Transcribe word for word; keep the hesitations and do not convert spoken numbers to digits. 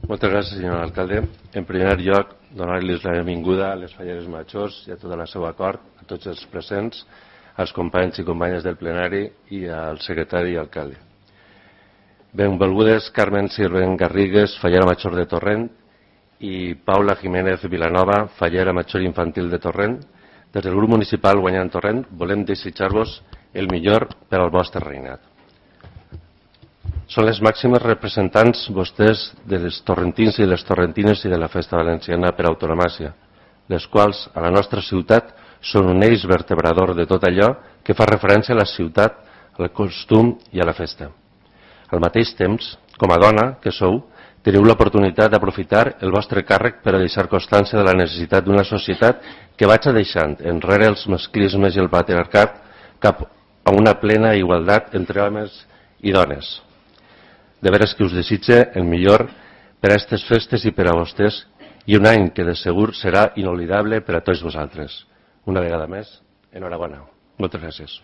Moltes gràcies, senyor alcalde. En primer lloc, donar-los la benvinguda a les Falleres Majors i a tot el seu acord, a tots els presents, als companys i companyes del plenari i al secretari i alcalde. Benvolgudes Carmen Sirvent Garrigues, Fallera Major de Torrent, i Paula Jiménez Vilanova, Fallera Major Infantil de Torrent. Des del grup municipal Guanyant Torrent volem desitjar-vos el millor per al vostre reinat. Són les màximes representants vostès de les torrentins i les torrentines i de la festa valenciana per autonomàcia, les quals a la nostra ciutat són un eix vertebrador de tot allò que fa referència a la ciutat, al costum i a la festa. Al mateix temps, com a dona que sou, teniu l'oportunitat d'aprofitar el vostre càrrec per a deixar constància de la necessitat d'una societat que vaig deixant enrere els masclismes i el patriarcat cap a una plena igualtat entre homes i dones. De veres que us desitge el millor per a aquestes festes i per a vostès i un any que de segur serà inolvidable per a tots vosaltres. Una vegada més, enhorabona. Moltes gràcies.